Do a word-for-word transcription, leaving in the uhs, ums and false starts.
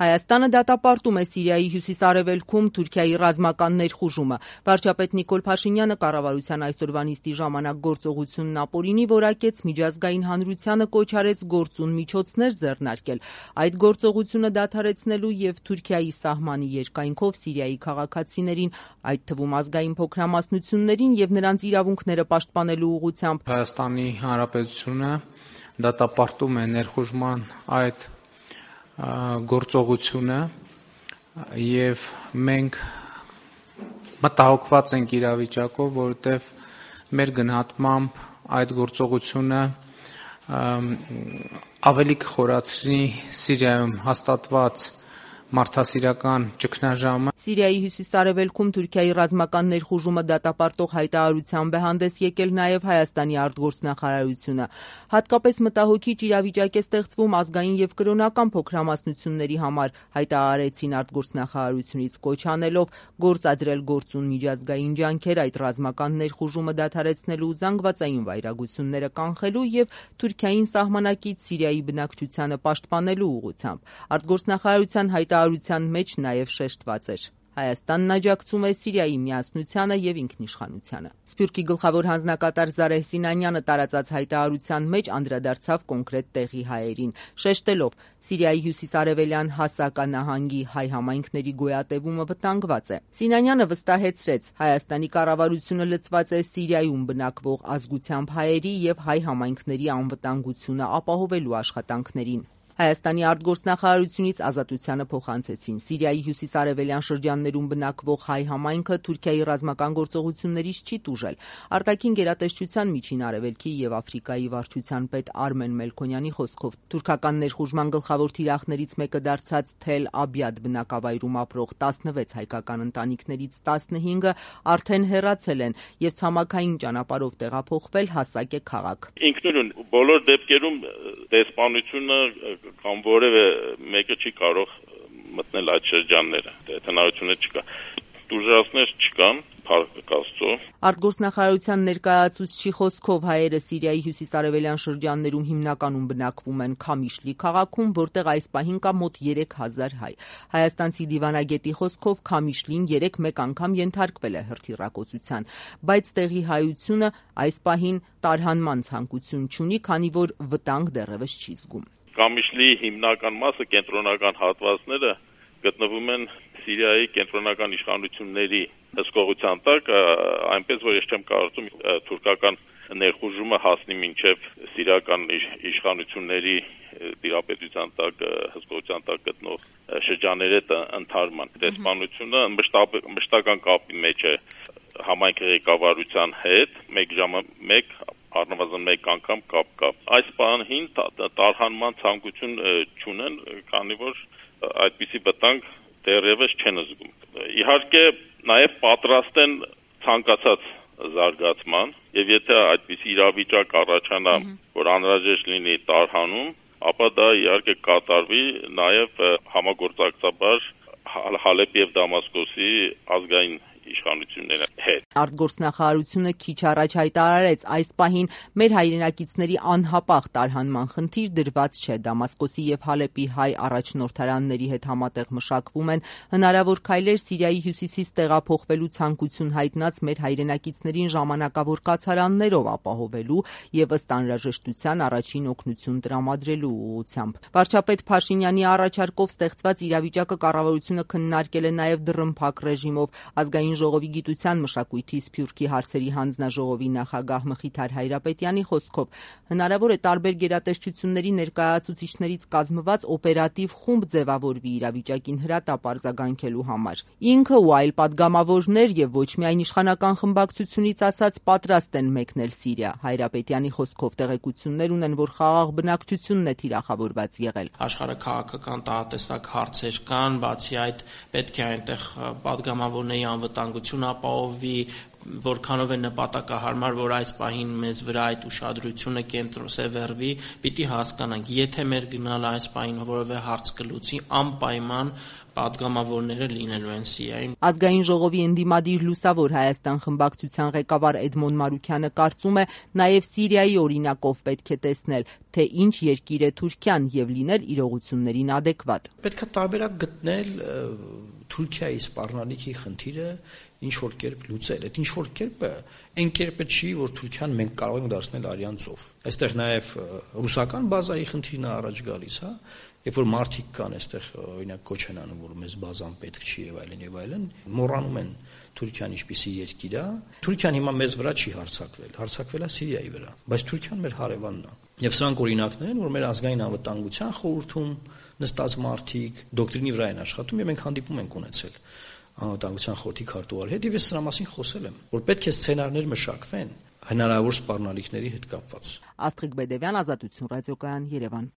Հայաստանը դատապարտում է Սիրիայի հյուսիս-արևելքում Թուրքիայի ռազմական ներխուժումը։ Վարչապետ Նիկոլ Փաշինյանը կառավարության այսօրվա նիստի ժամանակ գործողությունն ապօրինի որակեց, միջազգային հանրությանը կոչ արեց գործուն միջոցներ ձեռնարկել այդ գործողությունը դադարեցնելու և Թուրքիայի սահմանի երկայնքով Սիրիայի քաղաքացիներին, այդ թվում ազգային փոքրամասնություններին և նրանց իրավունքները պաշտպանելու ուղղությամբ։ Հայաստանի Հանրապետությունը դատապարտում է ներխուժման այդ գործողությունը և մենք մտահոգված ենք իրավիճակով, որովհետև մեր գնահատմամբ այդ գործողությունը ավելի կխորացնի Սիրիայում հաստատված մարդասիրական ճգնաժամը։ Սիրիայի հյուսիս-արևելքում Թուրքիայի ռազմական ներխուժումը դատապարտող հայտարարությամբ է հանդես եկել նաև Հայաստանի արտգործնախարարությունը։ Հատկապես մտահոգիչ իրավիճակ է ստեղծվում ազգային և կրոնական փոքրամասնությունների համար, հայտարարեցին արտգործնախարարությունից, կոչ անելով գործադրել գործուն միջազգային ջանքեր այդ ռազմական ներխուժումը դադարեցնելու, զանգվածային վայրագությունները կանխելու և Թուրքիային սահմանակից Սիրիայի բնակչությանը պաշտպանելու ուղղությամբ։ Արտգործնախարարության հայտարարության մեջ նաև շեշտված էր. Հայաստանն աջակցում է Սիրիայի միասնությանը և ինքնիշխանությանը։ Սփյուռքի գլխավոր հանձնակատար Զարեհ Սինանյանը տարածած հայտարարության մեջ անդրադարձավ կոնկրետ տեղի հայերին, շեշտելով Սիրիայի հյուսիս-արևելյան Հասակա նահանգի հայ համայնքների գոյատևումը վտանգված է։ Սինանյանը վստահեցրեց, Հայաստանի կառավարությունը լծված է Սիրիայում բնակվող ազգությամբ հայերի և հայ համայնքների անվտանգությունը ապահովելու աշխատանքներին։ Հայաստանի արտգործնախարարությունից Ազատությանը փոխանցեցին. Սիրիայի հյուսիս-արևելյան շրջաններում բնակվող հայ համայնքը Թուրքիայի ռազմական գործողություններից չի տուժել։ Արտաքին գերատեսչության Միջին Արևելքի և Աֆրիկայի վարչության պետ Արմեն Մելքոնյանի խոսքով թուրքական ներխուժման գլխավոր թիրախներից մեկը դարձած Թել Աբյադ բնակավայրում ապրող տասնվեց հայկական ընտանիքներից տասնհինգը արդեն հեռացել են և ցամաքային ճանապարհով տեղափոխվել Հասակե քաղաք։ Ինքնուրույն բոլոր դեպքերում դեսպանությունը կամ որևէ մեկը չի կարող մտնել այդ շրջանները, հնարավորությունը չկա, տուժածներ չկան, փառք Աստծո։ Արտգործնախարարության ներկայացուցչի խոսքով հայերը Սիրիայի հյուսիս-արևելյան շրջաններում հիմնականում բնակվում են Քամիշլի քաղաքում, որտեղ այս պահին կա մոտ երեք հազար հայ։ Հայաստանցի դիվանագետի խոսքով Քամիշլին երեկ մեկ անգամ ենթարկվել է հրթիռակոծության, բայց տեղի հայությունը այս պահին տարհանման ցանկություն չունի, քանի որ վտանգ դեռևս չի զգում։ Քամիշլի հիմնական մասը կենտրոնական հատվածները գտնվում են Սիրիայի կենտրոնական իշխանությունների հսկողության տակ, այնպես որ ես չեմ կարծում թուրքական ներխուժումը հասնի մինչև սիրիական իշխանությունների տիրապետության տակ, հսկողության տակ գտնող շրջանների ընդհարման։ Դեսպանությունը մշտական կապի մեջ է համայնքի ղեկավարության հետ, մեկ ժամը մեկ առնվազն մեկ անգամ կապ կա։ Այս պահին տարհանման ցանկություն չունեն, քանի որ այդպիսի վտանգ դեռևս չեն զգում։ Իհարկե նաև պատրաստ են ցանկացած զարգացման, եւ եթե այդպիսի իրավիճակ առաջանա, որ անհրաժեշտ լինի տարհանում, ապա դա իհարկե կատարվի նաև համագործակցաբար Հալեպի եւ Դամասկոսի ազգային իշխանությունների հետ։ Արտգործնախարարությունը քիչ առաջ հայտարարեց, այս պահին մեր հայրենակիցների անհապաղ տարհանման խնդիր դրված չէ։ Դամասկոսի եւ Հալեպի հայ առաջնորդարանների հետ համատեղ մշակվում են հնարավոր քայլեր Սիրիայի հյուսիսից տեղափոխվելու ցանկություն հայտնած մեր հայրենակիցներին ժամանակավոր կացարաններով ապահովելու եւ ըստ անհրաժեշտության առաջին օգնություն տրամադրելու ուղղությամբ։ Վարչապետ Փաշինյանի առաջարկով ստեղծված իրավիճակը կառավարությունը քննարկել է նաեւ դռնփակ ռեժիմով։ Ազգային ժողովի գիտության, մշակույթի, սփյուռքի հարցերի հանձնաժողովի նախագահ Մխիթար Հայրապետյանի խոսքով հնարավոր է տարբեր գերատեսչությունների ներկայացուցիչներից կազմված օպերատիվ խումբ ձևավորվի իրավիճակին հրատապ արձագանքելու համար։ Ինքը ու այլ падգամավորներ եւ ոչ միայն իշխանական խմբակցությունից ասած պատրաստ են մեկնել Սիրիա։ Հայրապետյանի խոսքով տեղեկություններ ունեն, որ խաղաղ բնակչությունն է թիրախավորված եղել։ Աշխարհը քաղաքական տարատեսակ հարցեր կան, բացի այդ պետք է այնտեղ падգամավորների անվտանգություն ապահովի, որքանով է նպատակահարմար, որ այս պահին մեզ վրա այդ ուշադրությունը կենտրոնսևեռվի, պիտի հասկանանք, եթե մեր գնալը այս պահին որևէ հարց կլուծի, անպայման պատգամավորները լինելու են Սիրիայում։ Ազգային ժողովի ընդդիմադիր Լուսավոր Հայաստան խմբակցության ղեկավար Էդմոն Մարուքյանը կարծում է, նաև Սիրիայի օրինակով պետք է տեսնել, թե ինչ երկիր է Թուրքիան եւ լինել իրողություններին ադեկվատ։ Պետք է տարբերակ գտնել Թուրքիայի սպառնալիքի խնդիրը ինչ որ կերպ լուծել։ Այդ ինչ որ կերպը այն կերպը չի, որ Թուրքիան մենք կարող ենք դարձնել արյան ծով։ Այստեղ նաև ռուսական բազայի խնդիրն է առաջ գալիս, հա, երբ որ մարդիկ կան այստեղ, օրինակ կոչ են անում, որ մեզ բազան պետք չի եւ այլն եւ այլն, մոռանում են Թուրքիան ինչպիսի երկիր է։ Թուրքիան հիմա մեզ վրա չի հարձակվել, հարձակվել է Սիրիայի վրա, բայց Թուրքիան մեր հարևանն է։ Եվ սրանք օրինակներ են, որ մեր ազգային անվտանգության խորհրդում նստած մարդիկ դոկտրինի վրա են աշխատում եւ մենք հանդիպում ենք ունեցել անվտանգության խորհրդի քարտուղարի հետ եւ ես սրա մասին խոսել եմ, որ պետք է սցենարներ մշակվեն հնարավոր սպառնալիքների հետ կապված։ Աստղիկ Բեդևյան, Ազատություն ռադիոկայան, Երևան։